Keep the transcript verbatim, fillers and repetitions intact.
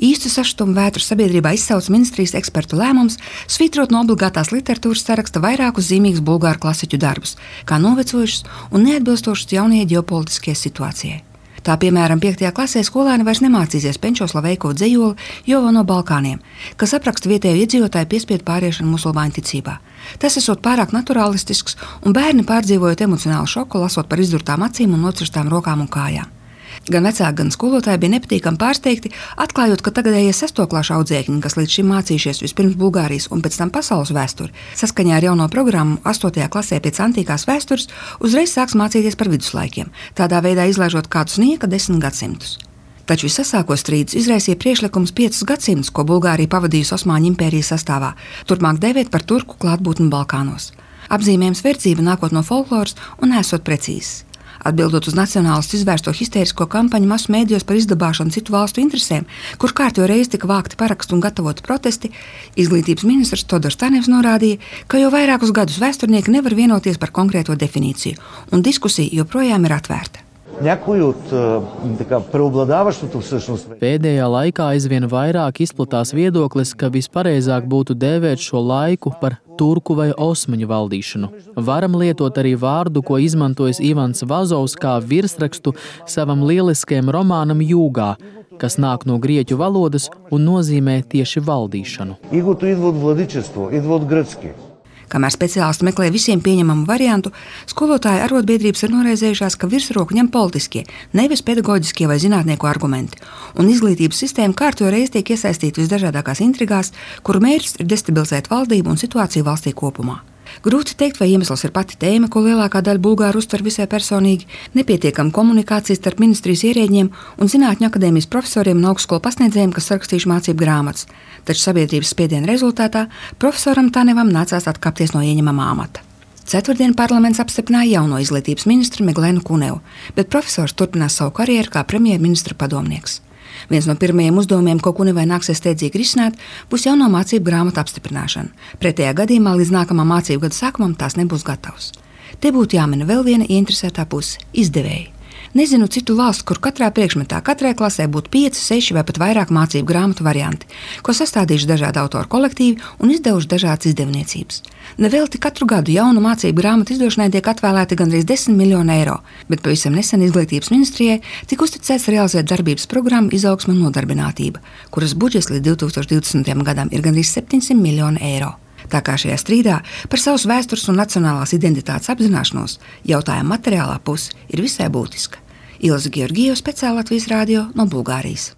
Īstu sašutumu vētru sabiedrībā izsauca ministrijas ekspertu lēmums svītrot no obligātās literatūras saraksta vairākus zīmīgus bulgāru klasiķu darbus, kā novecojušus un neatbilstošus jaunajai ģeopolitiskajai situācijai. Tā, piemēram, piektajā klasē skolēni vairs nemācīsies Penčo Slaveiko dzejoli Jovo no Balkāniem, kas apraksta vietējo iedzīvotāju piespiedu pāriešanu musulmaņu ticībā. Tas esot pārāk naturālistisks, un bērni pārdzīvojot emocionālu šoku, lasot par izdurtām acīm un nocirstām rokām un kājām. Gan vecāki, gan skolotāji bija nepatīkami pārsteigti, atklājot, ka tagadējie sestoklāšu audzēkņi, kas līdz šim mācījušies vispirms Bulgārijas un pēc tam pasaules vēsturi, saskaņā ar jauno programmu astotajā klasē pēc antīkās vēstures, uzreiz sāks mācīties par viduslaikiem, tādā veidā izlaižot kādus nieka desmit gadsimtus. Taču visasāko strīdus izraisīja priekšlikums piecus gadsimtus, ko Bulgārija pavadījusi Osmaņu impērijas sastāvā, turpmāk dēvēt par turku klātbūtni Balkānos. Apzīmējums verdzība nākot no folkloras un esot precīzs. Atbildot uz nacionālistu izvērsto histērisko kampaņu masu mēdījos par izdabāšanu citu valstu interesēm, kur kārtjo reiz tika vākti parakstu un gatavoti protesti, izglītības ministrs Todors Tanevs norādīja, ka jau vairākus gadus vēsturnieki nevar vienoties par konkrēto definīciju, un diskusija joprojām ir atvērta. Pēdējā laikā aizvien vairāk izplatās viedoklis, ka vispareizāk būtu dēvēt šo laiku par turku vai osmaņu valdīšanu. Varam lietot arī vārdu, ko izmantojis Ivans Vazovs kā virsrakstu savam lieliskajam romānam Jūgā, kas nāk no grieķu valodas un nozīmē tieši valdīšanu. Kamēr speciālisti meklē visiem pieņemamu variantu, skolotāju arotbiedrības ir noraizējušās, ka virsroku ņem politiskie, nevis pedagoģiskie vai zinātnieku argumenti, un izglītības sistēma kārtjo reiz tiek iesaistīta visdažādākās intrigās, kuru mērķis ir destabilizēt valdību un situāciju valstī kopumā. Grūti teikt, vai iemesls ir pati tēma, ko lielākā daļa bulgāru uztver visai personīgi, nepietiekama komunikācija starp ministrijas ierēģiem un zinātņu akadēmijas profesoriem un augstskolu pasniedzējiem, kas sarakstījuši mācību grāmatas. Taču sabiedrības spiediena rezultātā profesoram Tanevam nācās atkāpties no ieņemamā amata. Ceturtdien parlaments apstiprināja jauno izglītības ministru Meglenu Kunevu, bet profesors turpinās savu karjeru kā premjerministra padomnieks. Viens no pirmajiem uzdevumiem, ko Kunevai nāksies steidzīgi risināt, būs jauno mācību grāmatu apstiprināšana. Pretējā gadījumā līdz nākamā mācību gada sākumam tās nebūs gatavas. Te būtu jāmina vēl viena ieinteresētā puse – izdevēji. Nezinu citu valstu, kur katrā priekšmetā, katrai klasē būtu pieci, seši vai pat vairāk mācību grāmatu varianti, ko sastādījuši dažādi autoru kolektīvi un izdevuši dažādas izdevniecības. Nevelti katru gadu jaunu mācību grāmatu izdošanai tiek atvēlēti gandrīz desmit miljoni eiro, bet pavisam nesen izglītības ministrijai tika uzticēts realizēt darbības programmu Izaugsme un nodarbinātība, kuras budžets līdz divi tūkstoši divdesmitajam gadam ir gandrīz septiņsimt miljoni eiro. Tā kā šajā strīdā par savas vēstures un nacionālās identitātes apzināšanos jautājuma materiālā puse ir visai būtiska. Ilza Georgijeva, speciāli Latvijas radio no Bulgārijas.